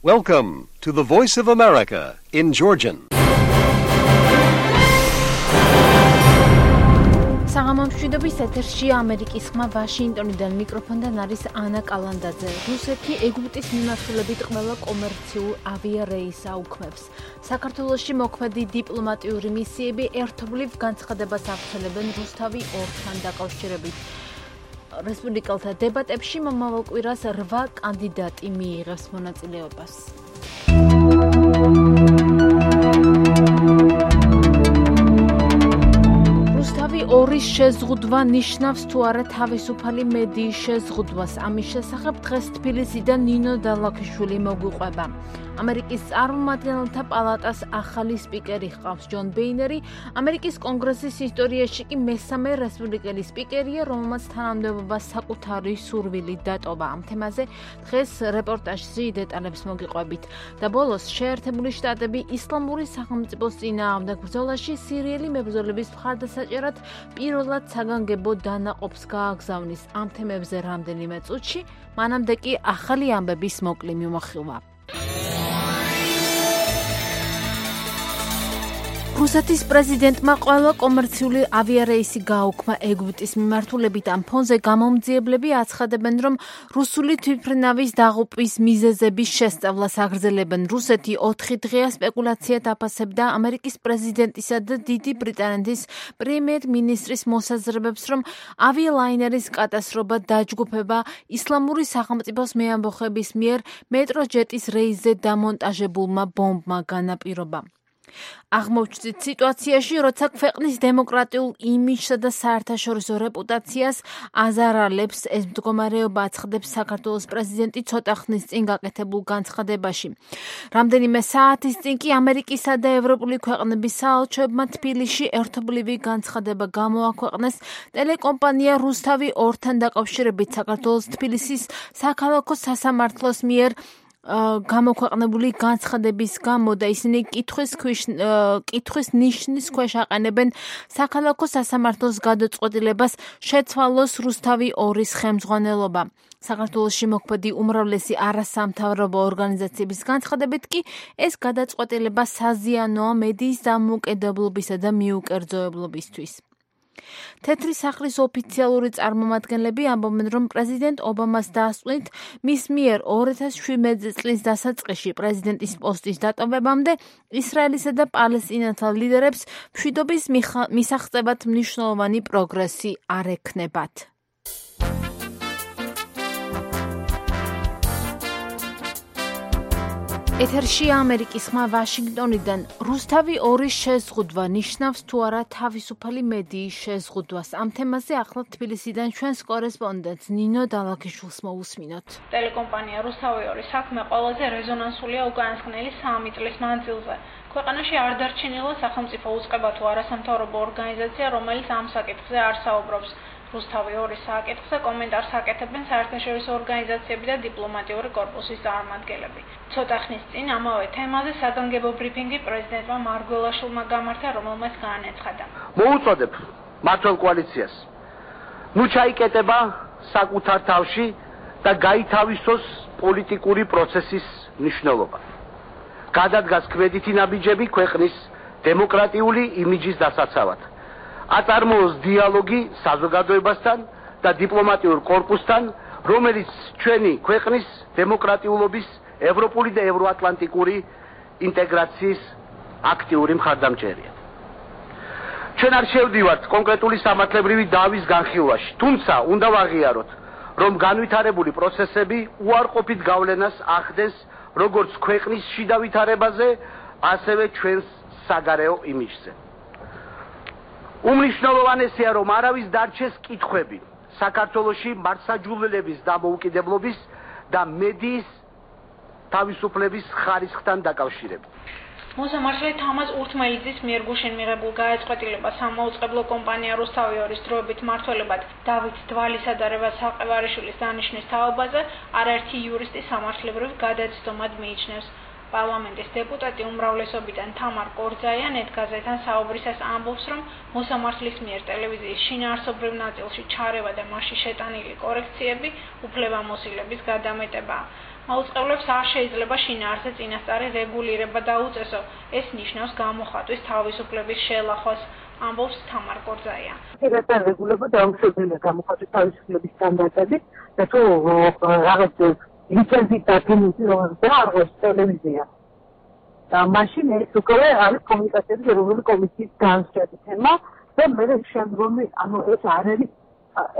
Welcome to the Voice of America in Georgian. საღამომშვიდობის ეთერში ამერიკის ხმა ვაშინგტონიდან მიკროფონთან არის ანა კალანდაძე. რუსეთი ეგვიპტის მიმართულებით ყველა კომერციულ ავიარეისს აუქმებს. საქართველოში მოქმედი დიპლომატიური მისიები ერთობლივ განცხადებას ავრცელებენ რუსთავი ორთან დაკავშირებით. რესპუბლიკელთა დებატებში მომავალ კვირას 8 კანდიდატი მიიღებს მონაწილეობას. რუსთავი ორის შეზღუდვა ნიშნავს თუ არა თავისუფალი მედიის შეზღუდვას. ამის შესახებ დღეს თბილისიდან ნინო დალაქიშვილი მოგვიყვება. ამერიკის წარმომადგენელთა პალატას ახალი სპიკერი ჰყავს ჯონ ბეინერი. ამერიკის კონგრესის ისტორიაში კი მესამე რესპუბლიკელი სპიკერია, რომელმაც თანამდებობა საკუთარი სურვილით დატოვა. ამ თემაზე დღეს რეპორტაჟში დეტალებს მოგიყვებით. და ბოლოს შეერთებული შტატები ისლამური სახელმწიფოს წინააღმდეგ ბრძოლაში სირიელი მებრძოლების მხარდასაჭერად პირველად საგანგებო დანაყოფს გააგზავნის. ამ თემებზე რამდენიმე წუთში, მანამდე კი ახალი ამბების მოკლი მიმოხილვა. რუსეთის პრეზიდენტმა ყველა კომერციული ავიარეისი გააუქმა ეგვიპტის მიმართულებით. ამ ფონზე გამომძიებლები აცხადებენ, რომ რუსული თვითმფრინავის დაღუპვის მიზეზების შესწავლას აგრძელებენ. რუსეთი 4 დღეა სპეკულაციად აფასებდა ამერიკის პრეზიდენტისა და დიდი ბრიტანეთის პრემიერ-მინისტრის მოსაზრებებს, რომ ავიალაინერის კატასტროფა დაჯგუფება ისლამური სახელმწიფოს მეამბოხების მიერ მეტროჯეტის რეისზე დამონტაჟებულმა ბომბმა განაპირობა. აღმოჩნდით სიტუაციაში, როცა ქვეყნის დემოკრატიულ იმიჯსა და საერთაშორისო რეპუტაციას აზარალებს, ეს მდგომარეობა აცხადებს საქართველოს პრეზიდენტი ცოტა ხნის წინ გაკეთებულ განცხადებაში. რამდენიმე საათის წინ კი ამერიკისა და ევროპული ქვეყნების საელჩოებმა თბილისში ერთობლივი განცხადება გამოაქვეყნეს ტელეკომპანია რუსთავი ორთან დაკავშირებით საქართველოს თბილისის საქალაქო სასამართლოს მიერ გამოქვეყნებული განცხადების გამო და ისინი კითხვის ნიშნის ქვეშ აყენებენ საქალაქო სასამართლოს გადაწყვეტილებას შეცვალოს რუსთავი ორის ხელმძღვანელობა. საქართველოში მოქმედი უმრავლესი არასამთავრობო ორგანიზაციების განცხადებით კი ეს გადაწყვეტილება საზიანოა მედიის დამოუკიდებლობისა და მიუკერძოებლობისთვის. თეთრი სახლის ოფიციალური წარმომადგენლები ამბობენ, რომ პრეზიდენტ ობამას დასკვნით მის მიერ 2017 წლის დასაწყისში პრეზიდენტის პოსტის დატოვებამდე ისრაელისა და პალესტინელთა ლიდერებს მშვიდობის მისაღწევად მნიშვნელოვანი პროგრესი არ ექნებათ. ეთერში ამერიკის ხმა ვაშინგტონიდან. რუსთავი ორის შეზღუდვა ნიშნავს თუ არა თავისუფალი მედიის შეზღუდვას. ამ თემაზე ახლა თბილისიდან ჩვენს კორესპონდენტს ნინო დალაქიშვილს მოусმინოთ. ტელეკომპანია რუსთავი ორის საქმე ყველაზე რეზონანსულია უკანასკნელი 3 წლის მანძილზე. ქვეყანაში არ დარჩენილა სახელმწიფო უწყება თუ არასამთავრობო ორგანიზაცია, რომელიც ამ საკითხზე არ საუბრობს. რუსთავი ორის საკითხზე კომენტარს აკეთებენ საერთაშორისო ორგანიზაციები და დიპლომატიური კორპუსის წარმომადგენლები. ცოტა ხნის წინ ამავე თემაზე საგანგებო ბრიფინგი პრეზიდენტმა მარგველაშვილმა გამართა, რომელმაც განაცხადა. მოუწოდებ მმართველ კოალიციას. ნუ ჩაიკეტება საკუთარ თავში და გაითავისოს პოლიტიკური პროცესის მნიშვნელობა. გადადგას ქმედითი ნაბიჯები ქვეყნის დემოკრატიული იმიჯის დასაცავად. აწარმოოს დიალოგი საზოგადოებასთან და დიპლომატიურ კორპუსთან, რომელიც ჩვენი ქვეყნის დემოკრატიულობის, ევროპული და ევროატლანტიკური ინტეგრაციის აქტიური მხარდამჭერია. ჩვენ არ შევდივართ კონკრეტული სამართლებრივი დავის განხილვაში, თუმცა უნდა ვაღიაროთ, რომ განვითარებული პროცესები უარყოფით გავლენას ახდენს როგორც ქვეყნის შიდა ვითარებაზე, ასევე ჩვენს საგარეო იმიჯზე. უმნიშვნელოვანესია, რომ არავის დარჩეს კითხვები საქართველოში მართლმსაჯულების დამოუკიდებლობის და მედიის თავისუფლების ხარისხთან დაკავშირებით. მოსამართლე თამაზ ურთმელიძის მიერ გუშინ მიღებულ გადაწყვეტილებას სამაუწყებლო კომპანია რუსთავი ორის დროებით მმართველებად დავით დვალისა და რევაზ საყევარიშვილის დანიშვნის თაობაზე არაერთი იურისტი სამართლებრივ გადაცდომად მიიჩნევს. პარლამენტის დეპუტატი უმრავლესობიდან თამარ კორძაია ნეტგაზეთთან საუბრისას ამბობს, რომ მოსამართლის მიერ ტელევიზიის შინაარსობრივ ნაწილში ჩარევა და მასში შეტანილი კორექციები უფლებამოსილების გადამეტებაა. მაუწყებლებს არ შეიძლება შინაარსზე წინასწარი რეგულირება დაუწესო. ეს ნიშნავს გამოხატვის თავისუფლების შელახვას, ამბობს თამარ კორძაია. ეს რეგულირება დაუშვებელია გამოხატვის თავისუფლების სტანდარტებით და თუ რაღაც ლიცენზიით დაფინანსი რომელზეა არის ტელევიზია. და მაშინ ეს უკვე არის კომუნიკაციების ეროვნული კომისიის განსხვავებული თემა და მე შემდგომი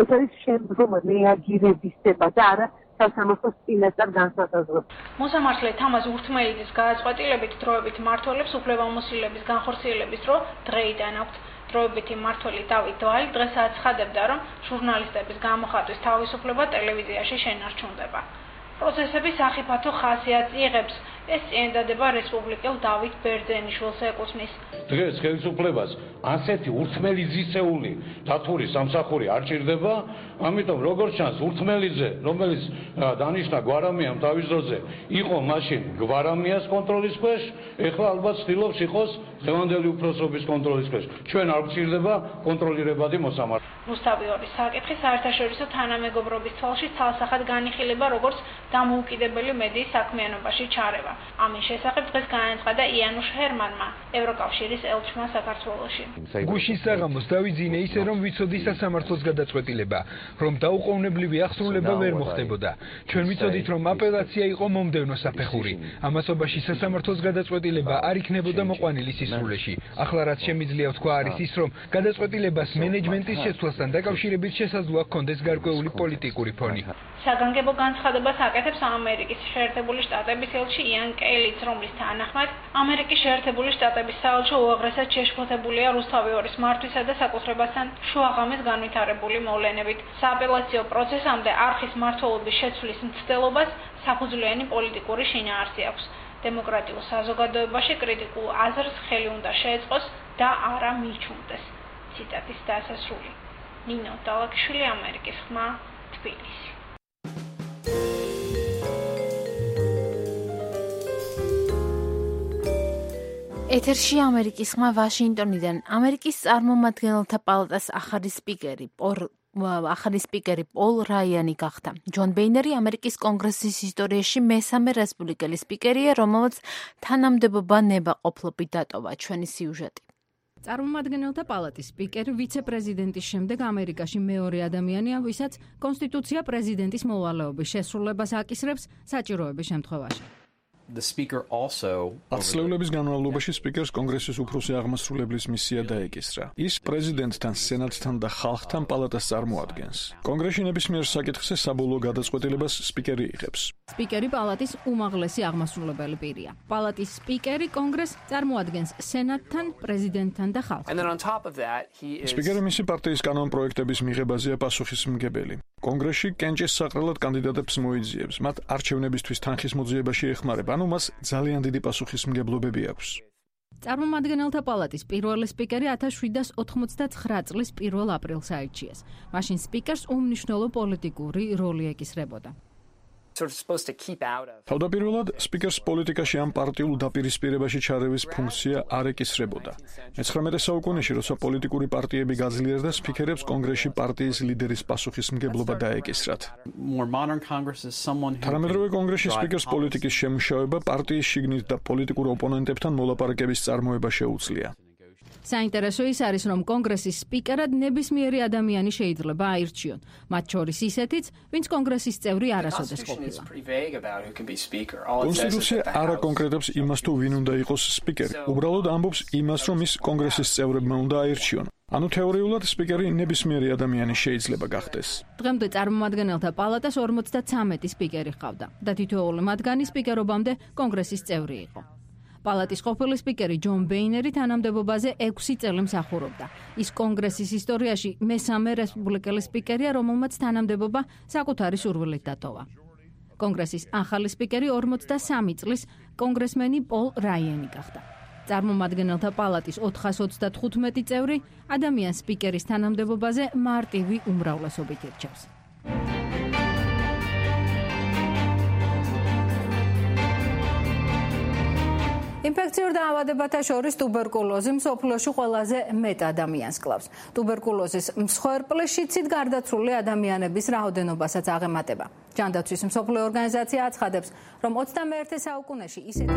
ეს არის შემდგომი რეაგირებისება და არა სასამართლოს წინასწარ განსაზღვრება. მოსამართლე თამაზ ურთმელიძის გადაწყვეტილებით დროებით მმართველებს უფლებამოსილების განხორციელების დრო დღეიდან აქვთ. დროებითი მმართველი დავით დვალი დღეს აცხადებდა, რომ ჟურნალისტების გამოხატვის თავისუფლება ტელევიზიაში შენარჩუნდება. პროცესების სახიფათო ხასიათს იღებს. ეს წინადადება რესპუბლიკელ დავით ბერძენიშვილს ეკუთვნის. დღეს ხელისუფლებას ასეთი ურთმელიძისეული დათური სამსახური არ ჭირდება, ამიტომ როგორც ჩანს ურთმელიძე, რომელიც დანიშნა გვარამიამ თავის დროზე, იყო მაშინ გვარამიას კონტროლის ქვეშ, ეხლა ალბათ ცდილობს იყოს დღევანდელი უფროსობის კონტროლის ქვეშ. ჩვენ არ გვჭირდება კონტროლირებადი მოსამართლე. რუსთავი ორის საკითხი საერთაშორისო თანამეგობრობის თვალში ცალსახად განიხილება როგორც დამოუკიდებელი მედიის საქმიანობაში ჩარევა. ამის შესახებ დღეს განაცხადა იანუშ ჰერმანმა, ევროკავშირის ელჩმა საქართველოში. გუშინ საღამოს დავიძინე ისე, რომ ვიცოდი სასამართლოს გადაწყვეტილება, რომ დაუყოვნებლივი აღსრულება ვერ მოხდებოდა. ჩვენ ვიცოდით, რომ აპელაცია იყო მომდევნო საფეხური. ამასობაში სასამართლოს გადაწყვეტილება არ იქნებოდა მოყვანილი სისრულეში. ახლა რაც შემიძლია ვთქვა არის ის, რომ გადაწყვეტილებას მენეჯმენტის შეცვლასთან დაკავშირებით შესაძლოა ჰქონდეს გარკვეული პოლიტიკური ფონი. საგანგებო განცხადებას აკეთებს ამერიკის შეერთებული შტატების ელჩი იან კელიც, რომლის თანახმად ამერიკის შეერთებული შტატების საელჩო უაღრესად შეშფოთებულია რუსთავი ორის მართვისა და საკუთრებასთან შუაღამის განვითარებული მოვლენებით. სააპელაციო პროცესამდე არხის მმართველობის შეცვლის მცდელობას საფუძვლიანი პოლიტიკური შინაარსი აქვს. დემოკრატიულ საზოგადოებაში კრიტიკულ აზრს ხელი უნდა შეეწყოს და არა მიჩნდეს. ციტატის დასასრული. ნინო დალაკიშვილი, ამერიკის ხმა, თბილისი. ეთერში ამერიკის ხმა ვაშინგტონიდან. ამერიკის წარმომადგენელთა პალატას ახალი სპიკერი პოლ რაიანი გახდა. ჯონ ბეინერი ამერიკის კონგრესის ისტორიაში მესამე რესპუბლიკელი სპიკერია, რომელმაც თანამდებობა ნებაყოფლობით დატოვა. ჩვენი სიუჟეტი. წარმომადგენელთა პალატის სპიკერი ვიცე-პრეზიდენტის შემდეგ ამერიკაში მეორე ადამიანია, ვისაც კონსტიტუცია პრეზიდენტის მოვალეობის შესრულებას აკისრებს საჭიროების შემთხვევაში. ათწლეულების განმავლობაში სპიკერს კონგრესის უფროსი აღმასრულებლის მისია დაეკისრა. ის პრეზიდენტთან, სენატთან და ხალხთან პალატას წარმოადგენს. კონგრესში ნებისმიერ საკითხზე საბოლოო გადაწყვეტილებას სპიკერი იღებს. სპიკერი პალატის უმაღლესი აღმასრულებელი პირია. პალატის სპიკერი კონგრესს წარმოადგენს სენატთან, პრეზიდენტთან და ხალხთან. სპიკერი მისი პარტიის კანონპროექტების მიღებაზეა პასუხისმგებელი. კონგრესში კენჭის საყრელად კანდიდატებს მოიძიებს, მათ არჩევნებისთვის თანხის მოძიებაში ეხმარება, ანუ მას ძალიან დიდი პასუხისმგებლობები აქვს. წარმომადგენელთა პალატის პირველი სპიკერი 1789 წლის 1 აპრილს აირჩიეს. მაშინ სპიკერს უმნიშვნელო პოლიტიკური როლი ეკისრებოდა. თავდაპირველად სპიკერს პოლიტიკაში ამ პარტიულ დაპირისპირებაში ჩარევის ფუნქცია არ ეკისრებოდა. მე-19 საუკუნეში, როცა პოლიტიკური პარტიები გაძლიერდა, სპიკერებს კონგრესში პარტიის ლიდერის პასუხისმგებლობა დაეკისრათ. თანამედროვე კონგრესში სპიკერს პოლიტიკის შემუშავება, პარტიის შიგნით და პოლიტიკურ ოპონენტებთან მოლაპარაკების წარმოება შეუძლია. საინტერესო ის არის, რომ კონგრესის სპიკერად ნებისმიერი ადამიანი შეიძლება აირჩიონ, მათ შორის ისეთიც, ვინც კონგრესის წევრი არასოდეს ყოფილა. კონსტიტუცია არ აკონკრეტებს იმას, თუ ვინ უნდა იყოს სპიკერი. უბრალოდ ამბობს იმას, რომ ის კონგრესის წევრებმა უნდა აირჩიონ. ანუ თეორიულად სპიკერი ნებისმიერი ადამიანი შეიძლება გახდეს. დღემდე წარმომადგენელთა პალატას 53 სპიკერი ჰყავდა და თითოეული მათგანი სპიკერობამდე კონგრესის წევრი იყო. პალატის ყოფილი სპიკერი ჯონ ბეინერი თანამდებობაზე 6 წელი მსახურობდა. ის კონგრესის ისტორიაში მესამე რესპუბლიკელი სპიკერია, რომელმაც თანამდებობა საკუთარი სურვილით დატოვა. კონგრესის ახალი სპიკერი 43 წლის კონგრესმენი პოლ რაიანი გახდა. წარმომადგენელთა პალატის 425 წევრი ადამიანს სპიკერის თანამდებობაზე მარტივი უმრავლესობით ირჩევს. ინფექციურ დაავადებათა შორის ტუბერკულოზი მსოფლიოში ყველაზე მეტ ადამიანს კლავს. ტუბერკულოზის მსხვერპლშიცით გარდაცვლილი ადამიანების რაოდენობასაც აღემატება. ჯანდაცვის მსოფლიო ორგანიზაცია აცხადებს, რომ 21 საუკუნეში ისეთი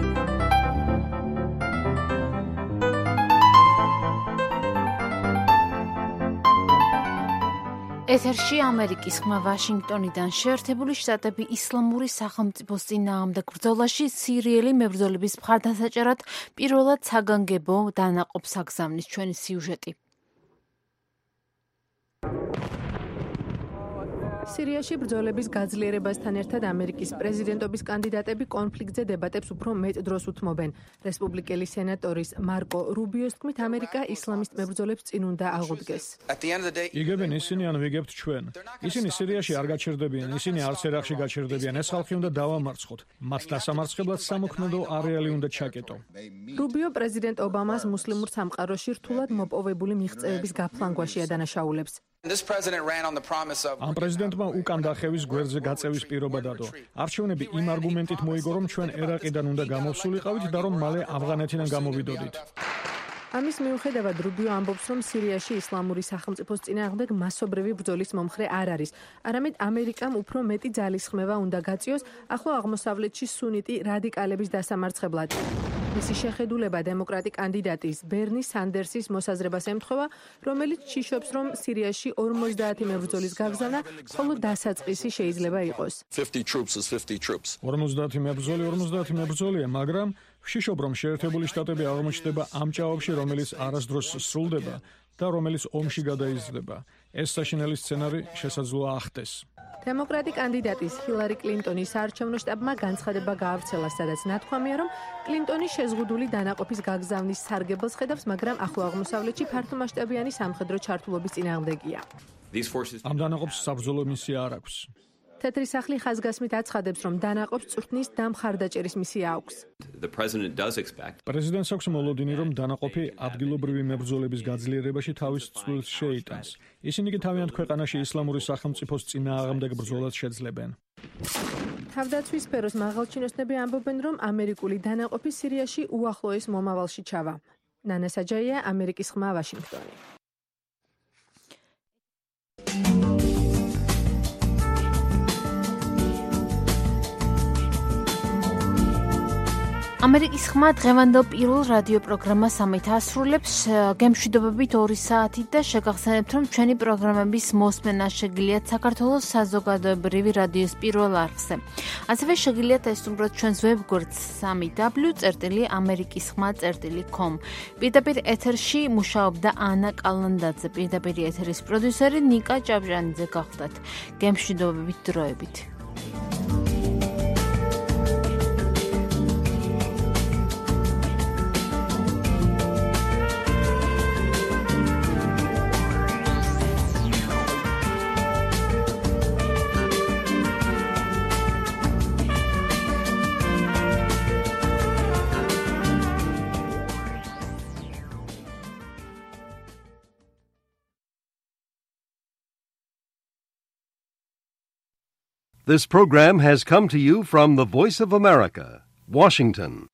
ეთერში ამერიკის ხმა ვაშინგტონიდან შეერთებული შტატები ისლამური სახელმწიფოს წინააღმდეგ ბრძოლაში სირიელი მებრძოლების მხარდასაჭერად პირველად საგანგებო დანაყოფს აგზავნის ჩვენი სიუჟეტი. სირიაში ბრძოლების გაძლიერებასთან ერთად ამერიკის პრეზიდენტობის კანდიდატები კონფლიქტზე დებატებს უფრო მეტ დროს უთმობენ. რესპუბლიკელი სენატორის მარკო რუბიოს თქმით, ამერიკა ისლამისტ მებრძოლებს წინ უნდა აღუდგეს. იგებენ ისინი ან ვიგებთ ჩვენ. ისინი სირიაში არ გაჩერდებიან, ისინი არც ერაყში გაჩერდებიან. ეს ხალხი უნდა დავამარცხოთ. მათ დასამარცხებლად სამოქმედო არეალი უნდა ჩაკეტო. რუბიო პრეზიდენტ ობამას მუსლიმურ სამყაროში რთულად მოპოვებული მიღწევების გაფლანგვაში ადანაშაულებს. ამ პრეზიდენტმა უკან დახევის გვერდზე გაწევის პირობა დადო. არჩევნები იმ არგუმენტით მოიგო, რომ ჩვენ ერაყიდან უნდა გამოვსულიყავით და რომ მალე ავღანეთიდან გამოვიდოდით. ამის მიუხედავად რუბიო ამბობს, რომ სირიაში ისლამური სახელმწიფოს წინააღმდეგ მასობრივი ბრძოლის მომხრე არ არის. არამედ ამერიკამ უფრო მეტი ძალისხმევა უნდა გაწიოს ახლო აღმოსავლეთში სუნიტი რადიკალების დასამარცხებლად. მისი შეხედულება დემოკრატი კანდიდატის ბერნი სანდერსის მოსაზრებას ემთხვევა, რომელიც ჭიშობს, რომ სირიაში 50 მებრძოლის გაგზავნა მხოლოდ დასაწყისი შეიძლება იყოს. 50 მებრძოლია, მაგრამ ვშიშობ, რომ შეერთებული შტატები აღმოჩნდება ამ ჭაობში, რომელიც არასდროს სრულდება და რომელიც ომში გადაიზრდება. ეს საშინელი სცენარი შესაძლოა ახტეს. დემოკრატი კანდიდატის ჰილარი კლინტონის საარჩევნო შტაბმა განცხადება გაავრცელა, სადაც ნათქვამია, რომ კლინტონი შეზღუდული დანაყოფის გაგზავნის სარგებელს ხედავს, მაგრამ ახლო აღმოსავლეთში ფართომასშტაბიანი სამხედრო ჩართულობის წინააღმდეგია. ამ დანაყოფს საბრძოლო მისია არ აქვს. თეთრი სახლი ხაზგასმით აცხადებს, რომ დანაყოფს წვრთნის და მხარდაჭერის მისია აქვს. პრეზიდენტს აქვს მოლოდინი, რომ დანაყოფი ადგილობრივი მებრძოლების გაძლიერებაში თავის წვლილს შეიტანს. ისინი კი თავიანთ ქვეყანაში ისლამური სახელმწიფოს წინააღმდეგ ბრძოლას შეძლებენ. თავდაცვის სფეროს მაღალჩინოსნები ამბობენ, რომ ამერიკული დანაყოფი სირიაში უახლოეს მომავალში ჩავა. ნანა საჯაია, ამერიკის ხმა, ვაშინგტონი. ამერიკის ხმა დღევანდელ პირველ რადიო პროგრამას ამით ასრულებს. გემშვიდობებით 2 საათით და შეგახსენებთ, რომ ჩვენი პროგრამების მოსმენა შეგიძლიათ საქართველოს საზოგადოებრივი რადიოს პირველ არხზე. ასევე შეგიძლიათ ესწრებოთ ჩვენს ვებგვერდს www.amerikisxma.com. პირდაპირ ეთერში მუშაობდა ანა კალანდაძე, პირდაპირ ეთერის პროდიუსერი ნიკა ჭავჭანიძე გახლდათ. გემშვიდობებით დროებით. This program has come to you from the Voice of America, Washington.